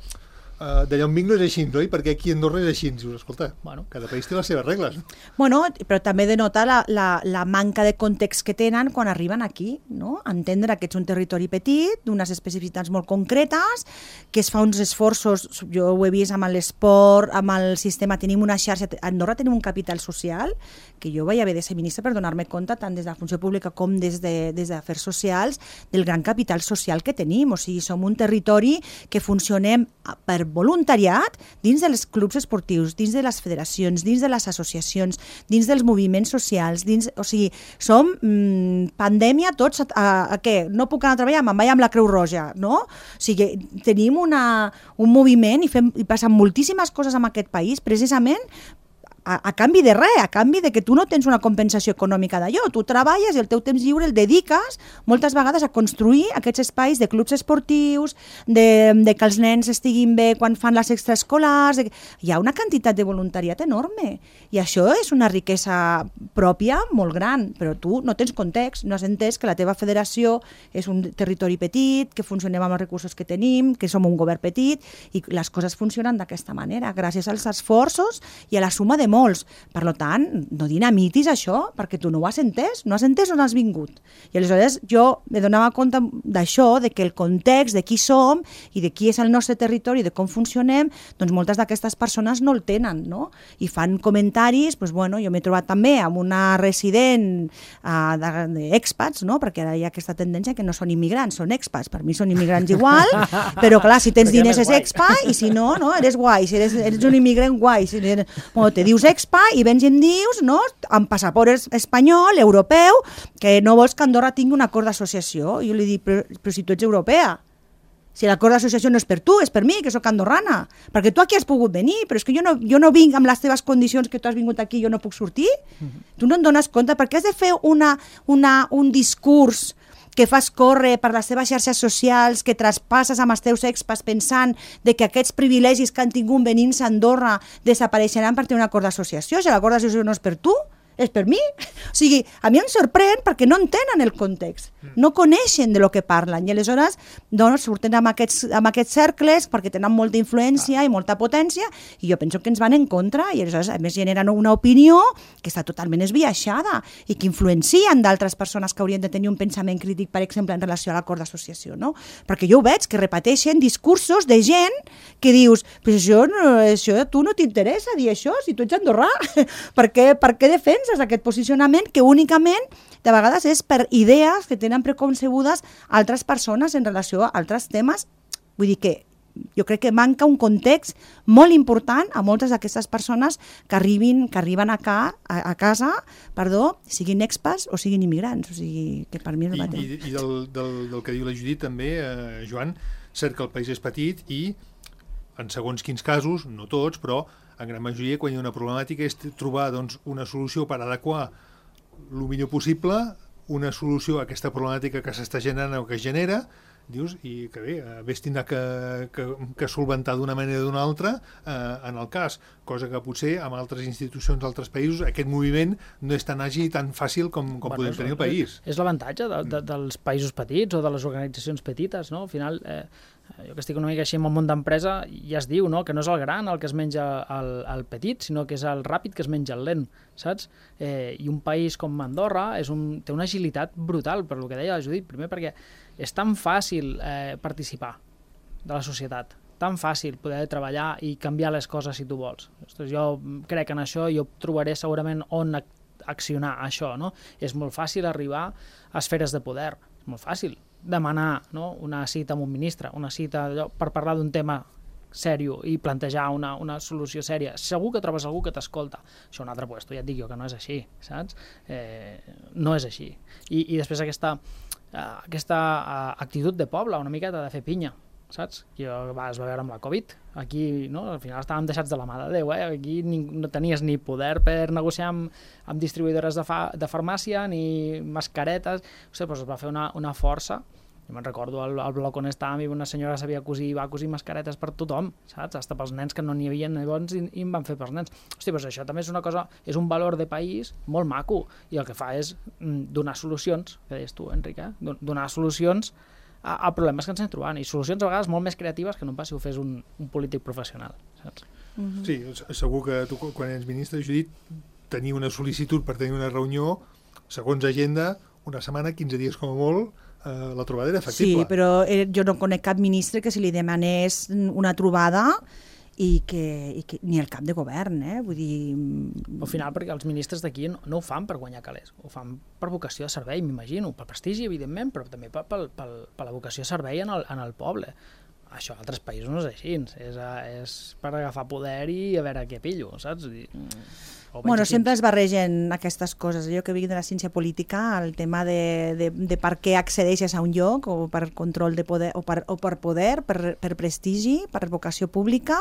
d'allà on vinc no és així, oi? Perquè aquí a Andorra és així. Dius, escolta, cada país té les seves regles. Bueno, però també denota la manca de context que tenen quan arriben aquí, no? Entendre que ets un territori petit, d'unes especificitats molt concretes, que es fa uns esforços, jo ho he vist amb l'esport, amb el sistema, tenim una xarxa, a Andorra tenim un capital social, que jo vaig haver de ser ministre per donar-me compte, tant des de la funció pública com des d'afers socials, del gran capital social que tenim. O sigui, som un territori que funcionem per voluntariat dins dels clubs esportius, dins de les federacions, dins de les associacions, dins dels moviments socials, o sigui, som pandèmia tots, què? No puc anar a treballar, me'n vaig amb la Creu Roja, no? O sigui, tenim un moviment i passen moltíssimes coses en aquest país, precisament a canvi de res, a canvi de que tu no tens una compensació econòmica d'allò. Tu treballes i el teu temps lliure el dediques moltes vegades a construir aquests espais de clubs esportius, de que els nens estiguin bé quan fan les extraescolars. Hi ha una quantitat de voluntariat enorme i això és una riquesa pròpia molt gran, però tu no tens context, no has entès que la teva federació és un territori petit, que funcionem amb els recursos que tenim, que som un govern petit i les coses funcionen d'aquesta manera, gràcies als esforços i a la suma de molts. Per tant, no dinamitis això, perquè tu no ho has entès on has vingut. I aleshores jo me donava compte d'això, de que el context de qui som i de qui és el nostre territori, de com funcionem, doncs moltes d'aquestes persones no el tenen, no? I fan comentaris, doncs bueno, jo m'he trobat també amb una resident d'expats, no? Perquè ara hi ha aquesta tendència que no són immigrants, són expats. Per mi són immigrants igual, però clar, si tens diners és expat i si no, eres guai. Si eres un immigrant guai, si te dius expa i vens i em dius, no, amb passaport espanyol, europeu, que no vols que Andorra tingui un acord d'associació. I jo li dic, però si tu ets europea, Si l'acord d'associació no és per tu, és per mi, que sóc andorrana. Perquè tu aquí has pogut venir, però és que jo no vinc amb les teves condicions que tu has vingut aquí i jo no puc sortir. Tu no et dones compte, perquè has de fer un discurs que fas córrer per les teves xarxes socials, que traspasses amb els teus expats pensant de que aquests privilegis que han tingut venint-se a Andorra desapareixeran per tenir un acord d'associació. Si l'acord d'associació no és per tu, és per mi. O sigui, a mi em sorprèn perquè no entenen el context, no coneixen de lo que parlen i aleshores doncs, surten amb aquests cercles perquè tenen molta influència i molta potència i jo penso que ens van en contra i aleshores a més generen una opinió que està totalment esbiaixada i que influencien d'altres persones que haurien de tenir un pensament crític, per exemple, en relació a l'acord d'associació, no? Perquè jo ho veig, que repeteixen discursos de gent que dius, però això a tu no t'interessa dir això, si tu ets andorrà, per què defenses aquest posicionament que únicament de vegades és per idees que tenen preconcebudes altres persones en relació a altres temes. Vull dir que jo crec que manca un context molt important a moltes d'aquestes persones que arriben a casa, siguin expats o siguin immigrants. O sigui, que per mi és el mateix. I del que diu la Judit també, Joan, cert que el país és petit i en segons quins casos, no tots, però en gran majoria, quan hi ha una problemàtica, és trobar una solució per adequar el millor possible una solució a aquesta problemàtica que s'està generant o que es genera, dius, i que bé, ves tindrà que solventar d'una manera o d'una altra en el cas, cosa que potser amb altres institucions d'altres països aquest moviment no és tan àgil i tan fàcil com podem tenir el país. És l'avantatge dels països petits o de les organitzacions petites, no? Al final, jo que estic una mica així en el món d'empresa, ja es diu, no? Que no és el gran el que es menja el petit, sinó que és el ràpid que es menja el lent, saps? I un país com Andorra té una agilitat brutal, per el que deia la Judit, primer perquè és tan fàcil participar de la societat, tan fàcil poder treballar i canviar les coses si tu vols. Ostres, jo crec que en això jo trobaré segurament on accionar això, no? És molt fàcil arribar a esferes de poder, és molt fàcil demanar, no? Una cita amb un ministre, una cita per parlar d'un tema sèrio i plantejar una solució sèria. Segur que trobes algú que t'escolta. Això un altre puesto, ja et dic jo que no és així, saps? No és així. I després aquesta actitud de poble, una miqueta de fer pinya, saps? Que es va veure amb la Covid. Aquí, no? Al final estàvem deixats de la mà de Déu, aquí no tenies ni poder per negociar amb distribuïdores de farmàcia, ni mascaretes. Doncs es va fer una força. Jo me'n recordo al bloc on estàvem i una senyora sabia cosir i va cosir mascaretes per tothom, saps? Hasta pels nens que no n'hi havia llavors i en van fer pels nens. Hosti, doncs això també és una cosa, és un valor de país molt maco i el que fa és donar solucions, que deies tu, Enric, donar solucions a problemes que ens anem trobant i solucions a vegades molt més creatives que no pas si ho fes un polític professional, saps? Sí, segur que tu quan ets ministre, Judit, tenir una sol·licitud per tenir una reunió, segons agenda, una setmana, 15 dies com a molt, la trobada era factible. Sí, però jo no conec cap ministre que se li demanés una trobada i que ni el cap de govern, vull dir... Al final, perquè els ministres d'aquí no ho fan per guanyar calés, ho fan per vocació de servei, m'imagino, per prestigi, evidentment, però també per la vocació de servei en el poble. Això a altres països no és així, és per agafar poder i a veure què pillo, saps? Bueno, sempre es barregen aquestes coses. Jo que vinc de la ciència política, el tema de per què accedeixes a un lloc, o per control de poder, o per poder, per prestigi, per vocació pública,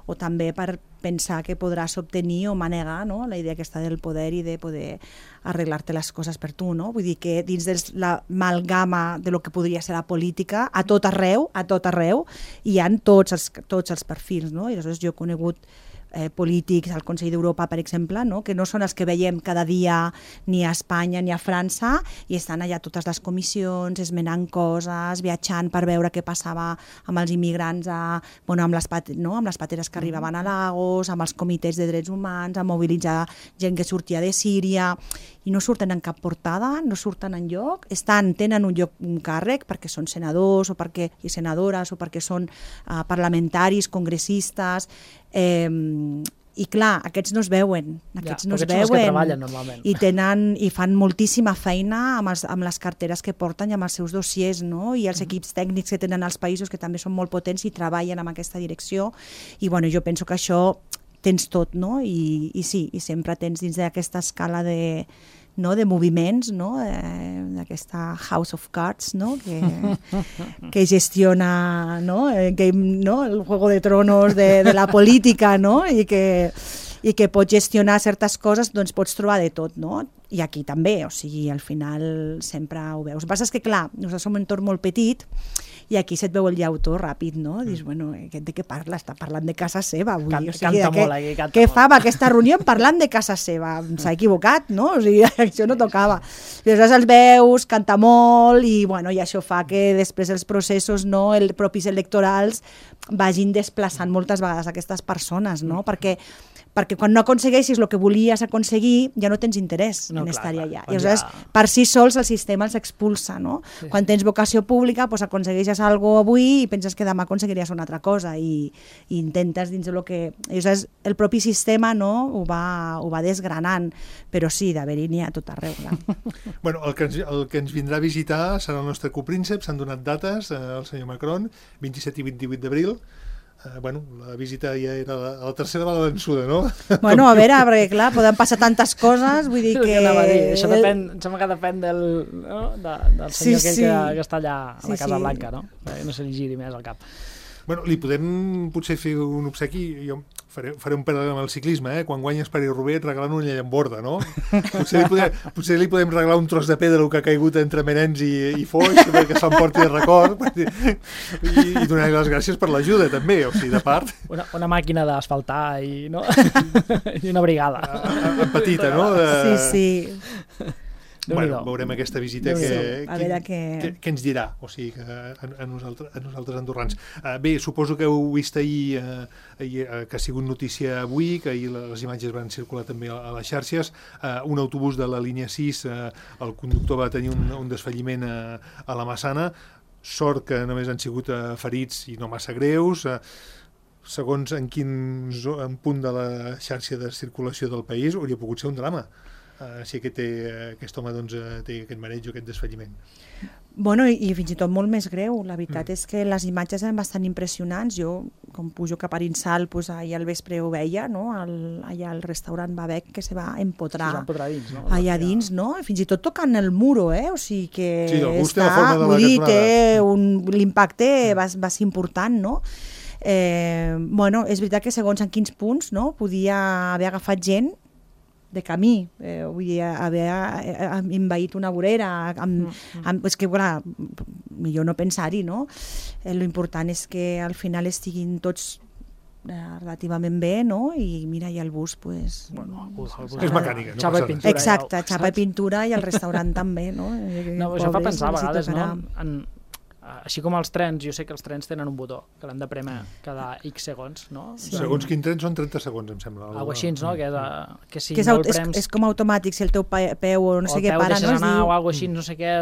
o també per pensar que podràs obtenir o manegar, no? La idea aquesta del poder i de poder arreglar-te les coses per tu, no? Vull dir que dins de l'amalgama de lo que podria ser la política, a tot arreu, hi ha tots els perfils, no? I aleshores jo he conegut polítics al Consell d'Europa, per exemple, no? Que no són els que veiem cada dia ni a Espanya ni a França i estan allà totes les comissions, esmenant coses, viatjant per veure què passava amb els immigrants, amb les pateres que arribaven a Lagos, amb els comitès de drets humans, a mobilitzar gent que sortia de Síria, i no surten en cap portada, no surten enlloc, tenen un càrrec perquè són senadors i senadores o perquè són parlamentaris, congressistes, i clar, aquests no es veuen, i fan moltíssima feina amb les carteres que porten i amb els seus dossiers, no? I els equips tècnics que tenen als països que també són molt potents i treballen en aquesta direcció, i bueno, jo penso que això tens tot, no? I sí, i sempre tens dins d'aquesta escala no, de moviments, no, d'aquesta House of Cards, no, que gestiona, no, el Juego de Tronos de la política, no, i que pot gestionar certes coses, doncs pots trobar de tot, no? I aquí també, o sigui, al final sempre ho veus. El que passa és que, clar, nosaltres som un entorn molt petit i aquí se't veu el llautó ràpid, no? Dius, bueno, de què parla? Està parlant de casa seva avui. Canta molt aquí, canta molt. Què fa amb aquesta reunió parlant de casa seva? S'ha equivocat, no? O sigui, això no tocava. I aleshores els veus, canta molt i, bueno, i això fa que després els processos, no, els propis electorals vagin desplaçant moltes vegades aquestes persones, no? Perquè quan no aconsegueixis el que volies aconseguir ja no tens interès en estar-hi allà. I aleshores, per si sols el sistema els expulsa, no? Sí. Quan tens vocació pública, doncs aconsegueixes alguna cosa avui i penses que demà aconseguiries una altra cosa i intentes dins del que... I aleshores, el propi sistema, no, ho va desgranant, però sí, d'haver-hi n'hi ha tot arreu. Bueno, el que ens vindrà a visitar serà el nostre copríncep, s'han donat dates, el senyor Macron, 27 i 28 d'abril. Bueno, la visita ja era la tercera va la vençuda, no? Bueno, a veure, perquè clar, poden passar tantes coses, vull dir que... Això depèn, em sembla que depèn del senyor que està allà a la Casa Blanca, no? No se li giri més al cap. Bueno, li podem potser fer un obsequi, jo faré un paral·lel amb el ciclisme, quan guanyes París-Roubaix et regalen una llamborda, no? Potser li podem regalar un tros de pedra que ha caigut entre Menens i Foix, perquè s'emporti de record, i donar-li les gràcies per l'ajuda, també, o sigui, de part. Una màquina d'asfaltar i una brigada. En petita, no? Sí. Bueno, veurem aquesta visita que ens dirà, o sigui, a nosaltres andorrans. Bé, suposo que heu vist ahir que ha sigut notícia avui, que ahir les imatges van circular també a les xarxes, un autobús de la línia 6, el conductor va tenir un desfalliment a la Massana, sort que només han sigut ferits i no massa greus, segons en quin punt de la xarxa de circulació del país hauria pogut ser un drama. Si aquest home doncs, té aquest mareig o aquest desfalliment. Bueno, i fins i tot molt més greu. La veritat és que les imatges eren bastant impressionants. Jo, com pujo cap a Arinsal, pues, ahir al vespre ho veia, no? Allà al restaurant Babec, que se va empotrar dins, no? allà dins, no? Fins i tot tocant el muro, o sigui que té l'impacte va ser important, no? Bueno, és veritat que segons en quins punts, no? Podia haver agafat gent de camí, vull dir, haver envaït una vorera, és que, clar, millor no pensar-hi, no? L'important és que al final estiguin tots relativament bé, no? I mira, i el bus, pues... Bueno, el bus és mecànica, no? Xapa i pintura. Exacte, xapa i pintura i el restaurant també, no? No, això fa pensar a vegades, no? Així com els trens, jo sé que els trens tenen un botó que l'han de prémer cada X segons, no? Segons quin tren són 30 segons, em sembla. Algo així, no? Que si no el prems... És com automàtic, si el teu peu o no sé què para, no? O el peu deixes anar o algo així, no sé què...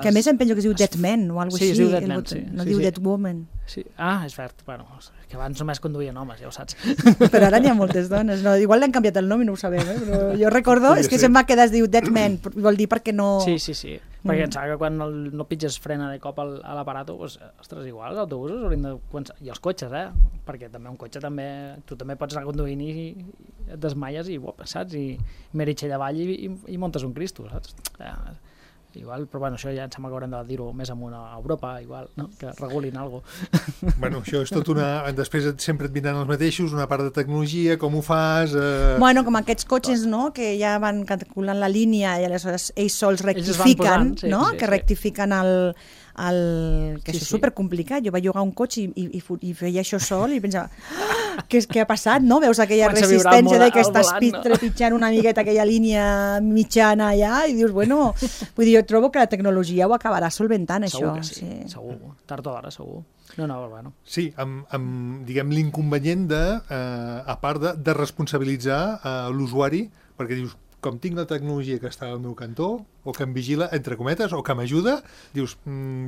Que a més em penso que es diu Dead Man o algo així. Sí, es diu Dead Man, sí. No diu Dead Woman. És verd, bueno, que abans només conduïen homes, ja ho saps. Però ara n'hi ha moltes dones, no? Igual l'han canviat el nom i no ho sabem, però jo recordo, és que se'm va quedar, es diu Dead Man, vol dir perquè no... Sí. Perquè em sembla que quan no pitges frena de cop a l'aparato, doncs, ostres, igual, els autobusos haurien de començar... I els cotxes, perquè també un cotxe també... Tu també pots anar conduint i et desmaies i, saps? I meritxell avall i montes un Cristo, saps? Igual, però bueno, això ja em sembla que haurem de dir-ho més amunt a Europa, igual, no? Que regulin alguna cosa. Bueno, això és tot una... Després sempre et vindran els mateixos, una part de tecnologia, com ho fas... Bueno, com aquests cotxes, no?, que ja van calculant la línia i aleshores ells sols rectifiquen, no?, que rectifiquen que és supercomplicat. Jo vaig llogar un cotxe i feia això sol i pensava, què ha passat, no? Veus aquella resistència de que estàs trepitjant una miqueta aquella línia mitjana allà i dius, bueno, vull dir, jo trobo que la tecnologia ho acabarà solventant, això. Segur que sí, segur. Tard o d'hora, segur. No, bueno. Sí, amb diguem, l'inconvenient de, a part de responsabilitzar l'usuari, perquè dius, com tinc la tecnologia que està al meu cantó, o que em vigila, entre cometes, o que m'ajuda, dius,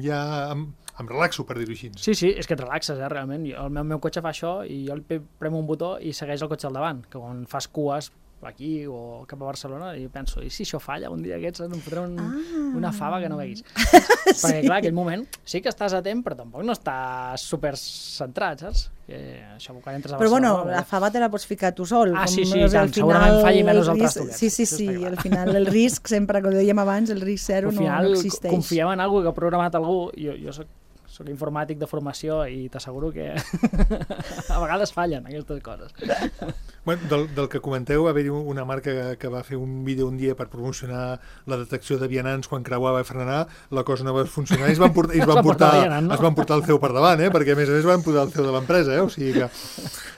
ja em relaxo, per dir-ho així. Sí, és que et relaxes, realment. El meu cotxe fa això i jo premo un botó i segueix el cotxe al davant, que quan fas cues aquí o cap a Barcelona, i penso, i si això falla un dia aquests, em fotré una fava que no veguis. Perquè, clar, aquell moment sí que estàs atent, però tampoc no estàs super centrat, saps? Això, quan entres a Barcelona... Però bueno, la fava te la pots ficar tu sol. Sí, tant, segurament falli menys el trastoquet. Sí, al final el risc, sempre, com dèiem abans, el risc zero no existeix. Confiem en algú que ha programat algú, jo soc informàtic de formació i t'asseguro que a vegades fallen aquestes coses. Bueno, del que comenteu, va haver-hi una marca que va fer un vídeo un dia per promocionar la detecció de vianants quan creuava i frenar, la cosa no va funcionar i es van portar el CEO per davant, perquè a més van portar el CEO de l'empresa, o sigui que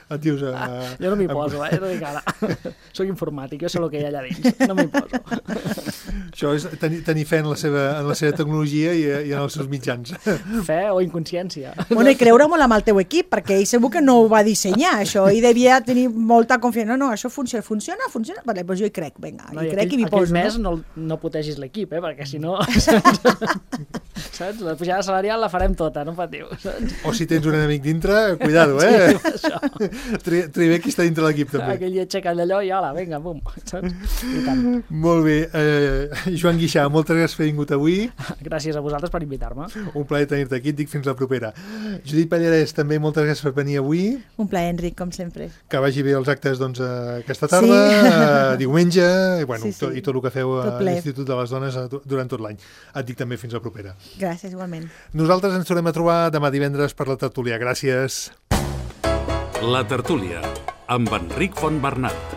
et dius... Jo no m'hi poso, jo no dic ara. Soc informàtic, jo sé el que hi ha allà dins, no m'hi poso. Això és tenir fe en la seva tecnologia i en els seus mitjans. Fe o inconsciència. Bueno, i creure molt amb el teu equip, perquè ell segur que no ho va dissenyar, això, i devia tenir molta confiança. No, això funciona? Vale, doncs jo hi crec, vinga, hi crec i m'hi poso. Aquell mes no putegis l'equip, perquè si no... Saps? La pujada salarial la farem tota, no patiu. O si tens un enemic dintre, cuidado, Tria bé qui està dintre l'equip, també. Aquell dia aixeca allò i hola, vinga, bum, saps? I tant. Molt bé. Joan Guixà, moltes gràcies per haver vingut avui. Gràcies a vosaltres per invitar-me. Un plaer tenir-te aquí, et dic fins la propera. Judit Pallarès, també moltes gràcies per venir avui. Un plaer, Enric, com sempre. Que vagi bé els actes aquesta tarda, diumenge, i tot el que feu a l'Institut de les Dones durant tot l'any. Et dic també fins la propera. Gràcies, igualment. Nosaltres ens tornem a trobar demà divendres per la tertúlia. Gràcies. La tertúlia, amb Enric Fontbernat.